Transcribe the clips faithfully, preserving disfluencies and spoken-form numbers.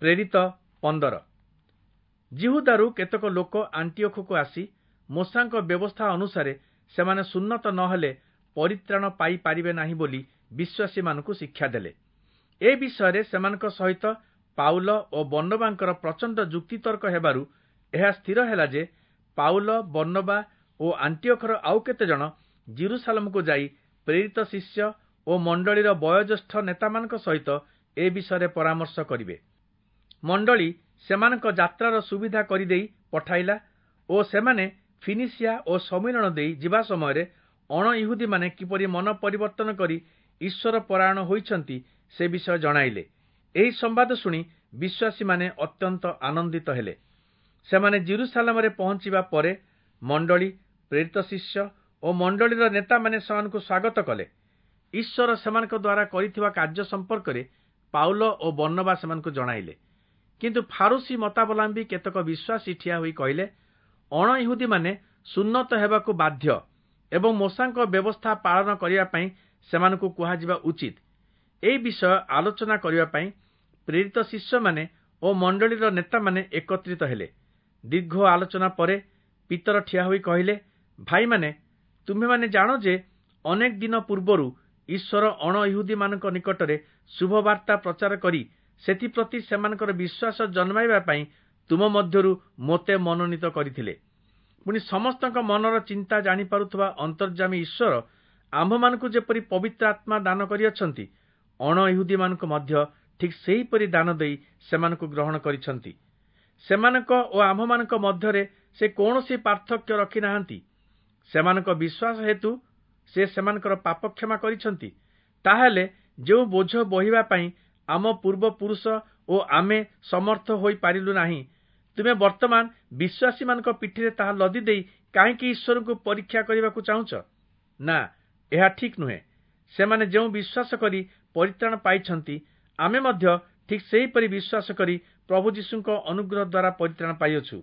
ପ୍ରେରିତ ପନ୍ଦର। ଯିହୁଦାରୁ କେତେକ ଲୋକ ଆଣ୍ଟିଓଖକୁ ଆସି ମୋଶାଙ୍କ ବ୍ୟବସ୍ଥା ଅନୁସାରେ ସେମାନେ ସୁନ୍ନତ ନ ହେଲେ ପରିତ୍ରାଣ ପାଇପାରିବେ ନାହିଁ ବୋଲି ବିଶ୍ୱାସୀମାନଙ୍କୁ ଶିକ୍ଷା ଦେଲେ। ଏ ବିଷୟରେ ସେମାନଙ୍କ ସହିତ ପାଉଲ ଓ ବର୍ଣ୍ଣବାଙ୍କର ପ୍ରଚଣ୍ଡ ଯୁକ୍ତିତର୍କ ହେବାରୁ ଏହା ସ୍ଥିର ହେଲା ଯେ ପାଉଲ, ବର୍ଣ୍ଣବା ଓ ଆଣ୍ଟିଓଖର ଆଉ କେତେଜଣ ଯିରୂଶାଲମକୁ ଯାଇ ପ୍ରେରିତ ଶିଷ୍ୟ ଓ ମଣ୍ଡଳୀର ବୟୋଜ୍ୟେଷ୍ଠ ନେତାମାନଙ୍କ ସହିତ ଏ ବିଷୟରେ ପରାମର୍ଶ କରିବେ। ମଣ୍ଡଳୀ ସେମାନଙ୍କ ଯାତ୍ରାର ସୁବିଧା କରିଦେଇ ପଠାଇଲା ଓ ସେମାନେ ଫିନିସିଆ ଓ ସମ୍ମିଳନ ଦେଇ ଯିବା ସମୟରେ ଅଣଇହୁଦୀମାନେ କିପରି ମନ ପରିବର୍ତ୍ତନ କରି ଈଶ୍ୱର ପରାୟଣ ହୋଇଛନ୍ତି ସେ ବିଷୟ ଜଣାଇଲେ। ଏହି ସମ୍ବାଦ ଶୁଣି ବିଶ୍ୱାସୀମାନେ ଅତ୍ୟନ୍ତ ଆନନ୍ଦିତ ହେଲେ। ସେମାନେ ଯିରୂଶାଲମରେ ପହଞ୍ଚିବା ପରେ ମଣ୍ଡଳୀ, ପ୍ରେରିତ ଶିଷ୍ୟ ଓ ମଣ୍ଡଳୀର ନେତାମାନେ ସେମାନଙ୍କୁ ସ୍ୱାଗତ କଲେ। ଈଶ୍ୱର ସେମାନଙ୍କ ଦ୍ୱାରା କରିଥିବା କାର୍ଯ୍ୟ ସମ୍ପର୍କରେ ପାଉଲ ଓ ବର୍ଣ୍ଣବା ସେମାନଙ୍କୁ ଜଣାଇଲେ। କିନ୍ତୁ ଫାରୂଶୀ ମତାବଲମ୍ବୀ କେତେକ ବିଶ୍ୱାସୀ ଠିଆ ହୋଇ କହିଲେ, ଅଣଇହୁଦୀମାନେ ସୁନ୍ନତ ହେବାକୁ ବାଧ୍ୟ ଏବଂ ମୋଶାଙ୍କ ବ୍ୟବସ୍ଥା ପାଳନ କରିବା ପାଇଁ ସେମାନଙ୍କୁ କୁହାଯିବା ଉଚିତ। ଏହି ବିଷୟ ଆଲୋଚନା କରିବା ପାଇଁ ପ୍ରେରିତ ଶିଷ୍ୟମାନେ ଓ ମଣ୍ଡଳୀର ନେତାମାନେ ଏକତ୍ରିତ ହେଲେ। ଦୀର୍ଘ ଆଲୋଚନା ପରେ ପିତର ଠିଆ ହୋଇ କହିଲେ, ଭାଇମାନେ, ତୁମ୍ଭେମାନେ ଜାଣ ଯେ ଅନେକ ଦିନ ପୂର୍ବରୁ ଈଶ୍ୱର ଅଣଇହୁଦୀମାନଙ୍କ ନିକଟରେ ଶୁଭବାର୍ତ୍ତା ପ୍ରଚାର କରି ସେଥିପ୍ରତି ସେମାନଙ୍କର ବିଶ୍ୱାସ ଜନ୍ମାଇବା ପାଇଁ ତୁମ ମଧ୍ୟରୁ ମୋତେ ମନୋନୀତ କରିଥିଲେ। ପୁଣି ସମସ୍ତଙ୍କ ମନର ଚିନ୍ତା ଜାଣିପାରୁଥିବା ଅନ୍ତର୍ଯାମୀ ଈଶ୍ୱର ଆମ୍ଭମାନଙ୍କୁ ଯେପରି ପବିତ୍ର ଆତ୍ମା ଦାନ କରିଅଛନ୍ତି, ଅଣଇହୁଦୀମାନଙ୍କୁ ମଧ୍ୟ ଠିକ୍ ସେହିପରି ଦାନ ଦେଇ ସେମାନଙ୍କୁ ଗ୍ରହଣ କରିଛନ୍ତି। ସେମାନଙ୍କ ଓ ଆମ୍ଭମାନଙ୍କ ମଧ୍ୟରେ ସେ କୌଣସି ପାର୍ଥକ୍ୟ ରଖିନାହାନ୍ତି। ସେମାନଙ୍କ ବିଶ୍ୱାସ ହେତୁ ସେ ସେମାନଙ୍କର ପାପ କ୍ଷମା କରିଛନ୍ତି। ତାହେଲେ ଯେଉଁ ବୋଝ ବୋହିବା ପାଇଁ ଆମ ପୂର୍ବପୁରୁଷ ଓ ଆମେ ସମର୍ଥ ହୋଇପାରିଲୁ ନାହିଁ, ତୁମେ ବର୍ତ୍ତମାନ ବିଶ୍ୱାସୀମାନଙ୍କ ପିଠିରେ ତାହା ଲଦି ଦେଇ କାହିଁକି ଈଶ୍ୱରଙ୍କୁ ପରୀକ୍ଷା କରିବାକୁ ଚାହୁଁଛ? ନା, ଏହା ଠିକ୍ ନୁହେଁ। ସେମାନେ ଯେଉଁ ବିଶ୍ୱାସ କରି ପରିତ୍ରାଣ ପାଇଛନ୍ତି, ଆମେ ମଧ୍ୟ ଠିକ୍ ସେହିପରି ବିଶ୍ୱାସ କରି ପ୍ରଭୁ ଯୀଶୁଙ୍କ ଅନୁଗ୍ରହ ଦ୍ୱାରା ପରିତ୍ରାଣ ପାଇଅଛୁ।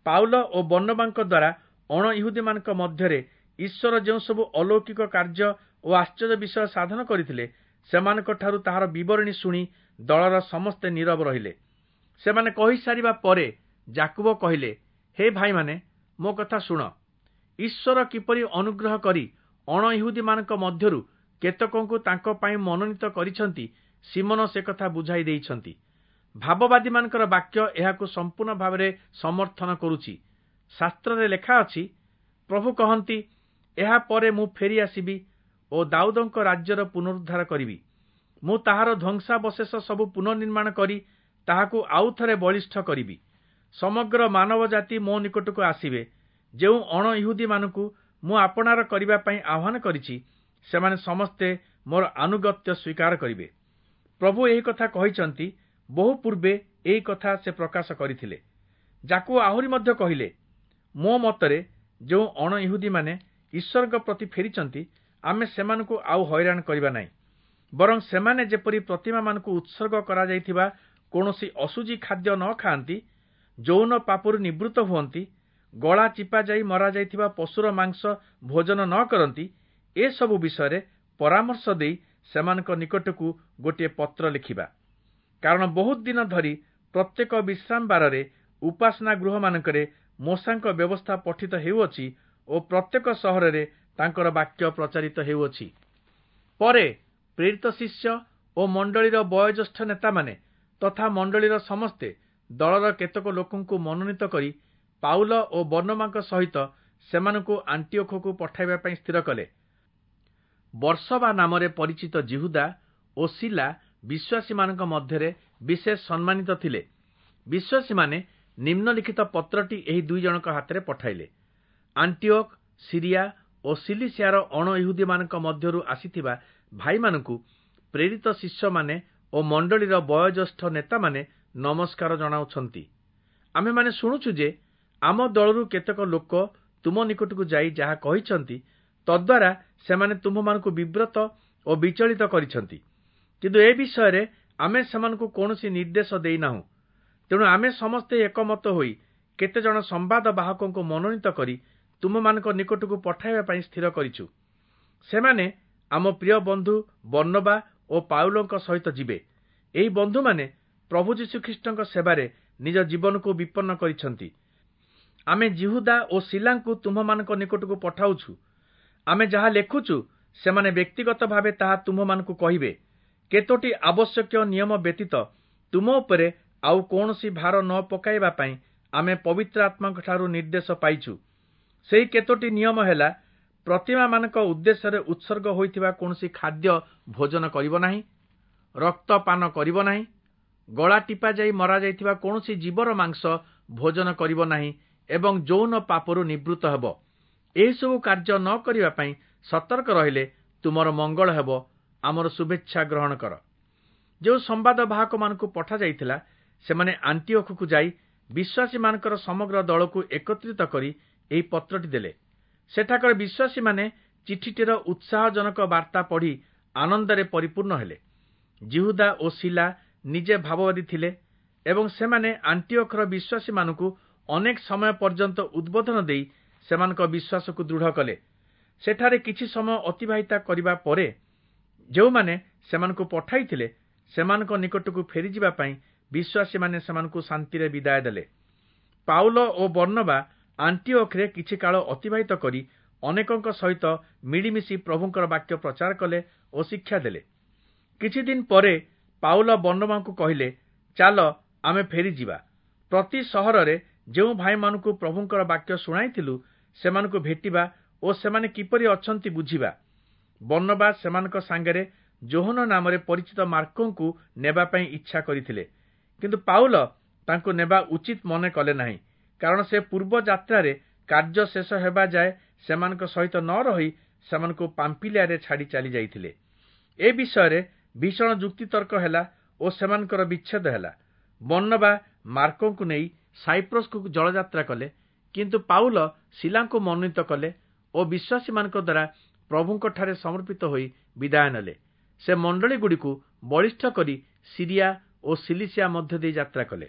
ପାଉଲ ଓ ବର୍ଣ୍ଣବାଙ୍କ ଦ୍ୱାରା ଅଣଇହୁଦୀମାନଙ୍କ ମଧ୍ୟରେ ଈଶ୍ୱର ଯେଉଁସବୁ ଅଲୌକିକ କାର୍ଯ୍ୟ ଓ ଆଶ୍ଚର୍ଯ୍ୟ ବିଷୟ ସାଧନ କରିଥିଲେ, ସେମାନଙ୍କଠାରୁ ତାହାର ବିବରଣୀ ଶୁଣି ଦଳର ସମସ୍ତେ ନୀରବ ରହିଲେ। ସେମାନେ କହିସାରିବା ପରେ ଯାକୁବ କହିଲେ, ହେ ଭାଇମାନେ, ମୋ କଥା ଶୁଣ। ଈଶ୍ୱର କିପରି ଅନୁଗ୍ରହ କରି ଅଣଇହୁଦୀମାନଙ୍କ ମଧ୍ୟରୁ କେତେକଙ୍କୁ ତାଙ୍କ ପାଇଁ ମନୋନୀତ କରିଛନ୍ତି, ଶିମୋନ ସେ କଥା ବୁଝାଇ ଦେଇଛନ୍ତି। ଭାବବାଦୀମାନଙ୍କର ବାକ୍ୟ ଏହାକୁ ସମ୍ପୂର୍ଣ୍ଣ ଭାବରେ ସମର୍ଥନ କରୁଛି। ଶାସ୍ତ୍ରରେ ଲେଖା ଅଛି, ପ୍ରଭୁ କହନ୍ତି, ଏହା ପରେ ମୁଁ ଫେରି ଆସିବି ଓ ଦାଉଦଙ୍କ ରାଜ୍ୟର ପୁନରୁଦ୍ଧାର କରିବି। ମୁଁ ତାହାର ଧ୍ୱଂସାବଶେଷ ସବୁ ପୁନର୍ନିର୍ମାଣ କରି ତାହାକୁ ଆଉଥରେ ବଳିଷ୍ଠ କରିବି। ସମଗ୍ର ମାନବ ଜାତି ମୋ ନିକଟକୁ ଆସିବେ। ଯେଉଁ ଅଣଇହୁଦୀମାନଙ୍କୁ ମୁଁ ଆପଣାର କରିବା ପାଇଁ ଆହ୍ୱାନ କରିଛି, ସେମାନେ ସମସ୍ତେ ମୋର ଆନୁଗତ୍ୟ ସ୍ୱୀକାର କରିବେ। ପ୍ରଭୁ ଏହି କଥା କହିଛନ୍ତି, ବହୁ ପୂର୍ବେ ଏହି କଥା ସେ ପ୍ରକାଶ କରିଥିଲେ। ଯାକୁବ ଆହୁରି ମଧ୍ୟ କହିଲେ, ମୋ ମତରେ ଯେଉଁ ଅଣଇହୁଦୀମାନେ ଈଶ୍ୱରଙ୍କ ପ୍ରତି ଫେରିଛନ୍ତି, ଆମେ ସେମାନଙ୍କୁ ଆଉ ହଇରାଣ କରିବା ନାହିଁ। ବରଂ ସେମାନେ ଯେପରି ପ୍ରତିମାମାନଙ୍କୁ ଉତ୍ସର୍ଗ କରାଯାଇଥିବା କୌଣସି ଅଶୁଚି ଖାଦ୍ୟ ନ ଖାଆନ୍ତି, ଯୌନ ପାପରୁ ନିବୃତ୍ତ ହୁଅନ୍ତି, ଗଳା ଚିପା ଯାଇ ମରାଯାଇଥିବା ପଶୁର ମାଂସ ଭୋଜନ ନ କରନ୍ତି, ଏସବୁ ବିଷୟରେ ପରାମର୍ଶ ଦେଇ ସେମାନଙ୍କ ନିକଟକୁ ଗୋଟିଏ ପତ୍ର ଲେଖିବା। କାରଣ ବହୁତ ଦିନ ଧରି ପ୍ରତ୍ୟେକ ବିଶ୍ରାମବାରରେ ଉପାସନା ଗୃହମାନଙ୍କରେ ମୋଶାଙ୍କ ବ୍ୟବସ୍ଥା ପଠିତ ହେଉଅଛି ଓ ପ୍ରତ୍ୟେକ ସହରରେ ତାଙ୍କର ବାକ୍ୟ ପ୍ରଚାରିତ ହେଉଅଛି। ପରେ ପ୍ରେରିତ ଶିଷ୍ୟ ଓ ମଣ୍ଡଳୀର ବୟୋଜ୍ୟେଷ୍ଠ ନେତାମାନେ ତଥା ମଣ୍ଡଳୀର ସମସ୍ତେ ଦଳର କେତେକ ଲୋକଙ୍କୁ ମନୋନୀତ କରି ପାଉଲ ଓ ବର୍ଣ୍ଣବାଙ୍କ ସହିତ ସେମାନଙ୍କୁ ଆଣ୍ଟିଓଖକୁ ପଠାଇବା ପାଇଁ ସ୍ଥିର କଲେ। ବର୍ସବା ନାମରେ ପରିଚିତ ଯିହୁଦା ଓ ଶୀଲା ବିଶ୍ୱାସୀମାନଙ୍କ ମଧ୍ୟରେ ବିଶେଷ ସମ୍ମାନିତ ଥିଲେ। ବିଶ୍ୱାସୀମାନେ ନିମ୍ନଲିଖିତ ପତ୍ରଟି ଏହି ଦୁଇ ଜଣଙ୍କ ହାତରେ ପଠାଇଲେ। ଆଣ୍ଟିଓଖ, ସିରିଆ ଓ ସିଲିସିଆର ଅଣଇହୁଦୀମାନଙ୍କ ମଧ୍ୟରୁ ଆସିଥିବା ଭାଇମାନଙ୍କୁ ପ୍ରେରିତ ଶିଷ୍ୟମାନେ ଓ ମଣ୍ଡଳୀର ବୟୋଜ୍ୟେଷ୍ଠ ନେତାମାନେ ନମସ୍କାର ଜଣାଉଛନ୍ତି। ଆମ୍ଭେମାନେ ଶୁଣୁଛୁ ଯେ ଆମ ଦଳରୁ କେତେକ ଲୋକ ତୁମ ନିକଟକୁ ଯାଇ ଯାହା କହିଛନ୍ତି, ତଦ୍ୱାରା ସେମାନେ ତୁମ୍ଭମାନଙ୍କୁ ବିବ୍ରତ ଓ ବିଚଳିତ କରିଛନ୍ତି। କିନ୍ତୁ ଏ ବିଷୟରେ ଆମେ ସେମାନଙ୍କୁ କୌଣସି ନିର୍ଦ୍ଦେଶ ଦେଇନାହୁଁ। ତେଣୁ ଆମେ ସମସ୍ତେ ଏକମତ ହୋଇ କେତେଜଣ ସମ୍ବାଦ ବାହକଙ୍କୁ ମନୋନୀତ କରି ତୁମମାନଙ୍କ ନିକଟକୁ ପଠାଇବା ପାଇଁ ସ୍ଥିର କରିଛୁ। ସେମାନେ ଆମ ପ୍ରିୟ ବନ୍ଧୁ ବର୍ଣ୍ଣବା ଓ ପାଉଲଙ୍କ ସହିତ ଯିବେ। ଏହି ବନ୍ଧୁମାନେ ପ୍ରଭୁ ଯୀଶୁଖ୍ରୀଷ୍ଟଙ୍କ ସେବାରେ ନିଜ ଜୀବନକୁ ବିପନ୍ନ କରିଛନ୍ତି। ଆମେ ଯିହୁଦା ଓ ଶୀଲାଙ୍କୁ ତୁମ୍ଭମାନଙ୍କ ନିକଟକୁ ପଠାଉଛୁ। ଆମେ ଯାହା ଲେଖୁଛୁ, ସେମାନେ ବ୍ୟକ୍ତିଗତ ଭାବେ ତାହା ତୁମ୍ଭମାନଙ୍କୁ କହିବେ। କେତୋଟି ଆବଶ୍ୟକୀୟ ନିୟମ ବ୍ୟତୀତ ତୁମ ଉପରେ ଆଉ କୌଣସି ଭାର ନ ପକାଇବା ପାଇଁ ଆମେ ପବିତ୍ର ଆତ୍ମାଙ୍କଠାରୁ ନିର୍ଦ୍ଦେଶ ପାଇଛୁ। ସେହି କେତୋଟି ନିୟମ ହେଲା, ପ୍ରତିମାମାନଙ୍କ ଉଦ୍ଦେଶ୍ୟରେ ଉତ୍ସର୍ଗ ହୋଇଥିବା କୌଣସି ଖାଦ୍ୟ ଭୋଜନ କରିବ ନାହିଁ, ରକ୍ତ ପାନ କରିବ ନାହିଁ, ଗଳା ଟିପାଯାଇ ମରାଯାଇଥିବା କୌଣସି ଜୀବର ମାଂସ ଭୋଜନ କରିବ ନାହିଁ ଏବଂ ଯୌନ ପାପରୁ ନିବୃତ୍ତ ହେବ। ଏହିସବୁ କାର୍ଯ୍ୟ ନ କରିବା ପାଇଁ ସତର୍କ ରହିଲେ ତୁମର ମଙ୍ଗଳ ହେବ। ଆମର ଶୁଭେଚ୍ଛା ଗ୍ରହଣ କର। ଯେଉଁ ସମ୍ବାଦ ବାହକମାନଙ୍କୁ ପଠାଯାଇଥିଲା, ସେମାନେ ଆଣ୍ଟିଓଖକୁ ଯାଇ ବିଶ୍ୱାସୀମାନଙ୍କର ସମଗ୍ର ଦଳକୁ ଏକତ୍ରିତ କରି ଏହି ପତ୍ରଟି ଦେଲେ। ସେଠାକାର ବିଶ୍ୱାସୀମାନେ ଚିଠିଟିର ଉତ୍ସାହଜନକ ବାର୍ତ୍ତା ପଢ଼ି ଆନନ୍ଦରେ ପରିପୂର୍ଣ୍ଣ ହେଲେ। ଯିହୁଦା ଓ ଶୀଲା ନିଜେ ଭାବବାଦୀ ଥିଲେ ଏବଂ ସେମାନେ ଆଣ୍ଟିଓଖର ବିଶ୍ୱାସୀମାନଙ୍କୁ ଅନେକ ସମୟ ପର୍ଯ୍ୟନ୍ତ ଉଦ୍ବୋଧନ ଦେଇ ସେମାନଙ୍କ ବିଶ୍ୱାସକୁ ଦୃଢ଼ କଲେ। ସେଠାରେ କିଛି ସମୟ ଅତିବାହିତ କରିବା ପରେ ଯେଉଁମାନେ ସେମାନଙ୍କୁ ପଠାଇଥିଲେ, ସେମାନଙ୍କ ନିକଟକୁ ଫେରିଯିବା ପାଇଁ ବିଶ୍ୱାସୀମାନେ ସେମାନଙ୍କୁ ଶାନ୍ତିରେ ବିଦାୟ ଦେଲେ। ପାଉଲ ଓ ବର୍ଣ୍ଣବା ଆଣ୍ଟିଓଖରେ କିଛି କାଳ ଅତିବାହିତ କରି ଅନେକଙ୍କ ସହିତ ମିଳିମିଶି ପ୍ରଭୁଙ୍କର ବାକ୍ୟ ପ୍ରଚାର କଲେ ଓ ଶିକ୍ଷା ଦେଲେ। କିଛି ଦିନ ପରେ ପାଉଲ ବର୍ଣ୍ଣବାଙ୍କୁ କହିଲେ, ଚାଲ, ଆମେ ଫେରିଯିବା। ପ୍ରତି ସହରରେ ଯେଉଁ ଭାଇମାନଙ୍କୁ ପ୍ରଭୁଙ୍କର ବାକ୍ୟ ଶୁଣାଇଥିଲୁ, ସେମାନଙ୍କୁ ଭେଟିବା ଓ ସେମାନେ କିପରି ଅଛନ୍ତି ବୁଝିବା। ବର୍ଣ୍ଣବା ସେମାନଙ୍କ ସାଙ୍ଗରେ ଯୋହନ ନାମରେ ପରିଚିତ ମାର୍କଙ୍କୁ ନେବା ପାଇଁ ଇଚ୍ଛା କରିଥିଲେ, କିନ୍ତୁ ପାଉଲ ତାଙ୍କୁ ନେବା ଉଚିତ ମନେ କଲେ ନାହିଁ, କାରଣ ସେ ପୂର୍ବ ଯାତ୍ରାରେ କାର୍ଯ୍ୟ ଶେଷ ହେବା ଯାଏ ସେମାନଙ୍କ ସହିତ ନ ରହି ସେମାନଙ୍କୁ ପାମ୍ପିଲିଆରେ ଛାଡ଼ି ଚାଲି ଯାଇଥିଲେ। ଏ ବିଷୟରେ ଭୀଷଣ ଯୁକ୍ତିତର୍କ ହେଲା ଓ ସେମାନଙ୍କର ବିଚ୍ଛେଦ ହେଲା। ବର୍ଣ୍ଣବା ମାର୍କଙ୍କୁ ନେଇ ସାଇପ୍ରସକୁ ଜଳଯାତ୍ରା କଲେ, କିନ୍ତୁ ପାଉଲ ଶୀଲାଙ୍କୁ ମନୋନୀତ କଲେ ଓ ବିଶ୍ୱାସୀମାନଙ୍କ ଦ୍ୱାରା ପ୍ରଭୁଙ୍କଠାରେ ସମର୍ପିତ ହୋଇ ବିଦାୟ ନେଲେ। ସେ ମଣ୍ଡଳୀଗୁଡ଼ିକୁ ବଳିଷ୍ଠ କରି ସିରିଆ ଓ ସିଲିସିଆ ମଧ୍ୟ ଦେଇ ଯାତ୍ରା କଲେ।